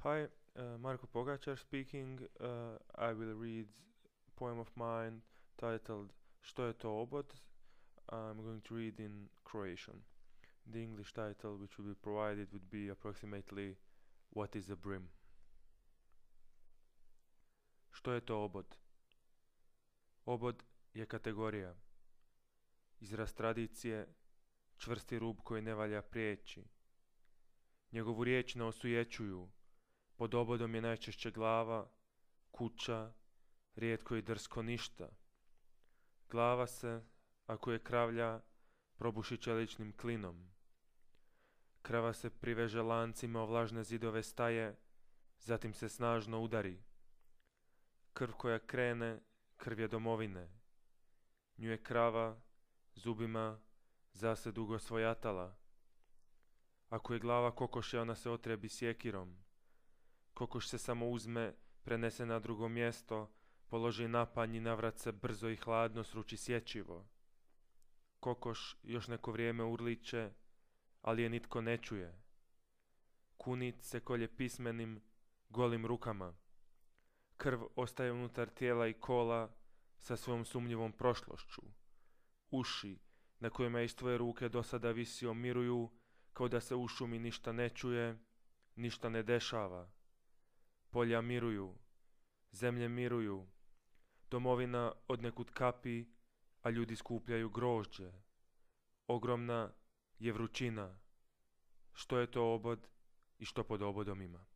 Hi, Marko Pogačar speaking. I will read a poem of mine titled Što je to obod? I'm going to read in Croatian. The English title which will be provided would be approximately What is a brim? Što je to obod? Obod je kategorija, izraz tradicije, čvrsti rub koji ne valja prijeći. Njegovu riječ ne osujećuju. Pod obodom je najčešće glava, kuća, rijetko i drsko ništa. Glava se, ako je kravlja, probuši čeličnim klinom. Krava se priveže lancima o vlažne zidove staje, zatim se snažno udari. Krv koja krene, krv je domovine. Nju je krava, zubima, zase dugo svojatala. Ako je glava kokoše, ona se otrebi sjekirom. Kokoš se samo uzme, prenese na drugo mjesto, položi na panj i navrat se brzo i hladno sruči sječivo. Kokoš još neko vrijeme urliče, ali je nitko ne čuje. Kunit se kolje pismenim, golim rukama. Krv ostaje unutar tijela i kola sa svojom sumnjivom prošlošću. Uši, na kojima iz tvoje ruke do sada visio, miruju, kao da se u šumi ništa ne čuje, ništa ne dešava. Polja miruju, zemlje miruju, domovina odnekud kapi, a ljudi skupljaju grožđe. Ogromna je vrućina. Što je to obod i što pod obodom ima?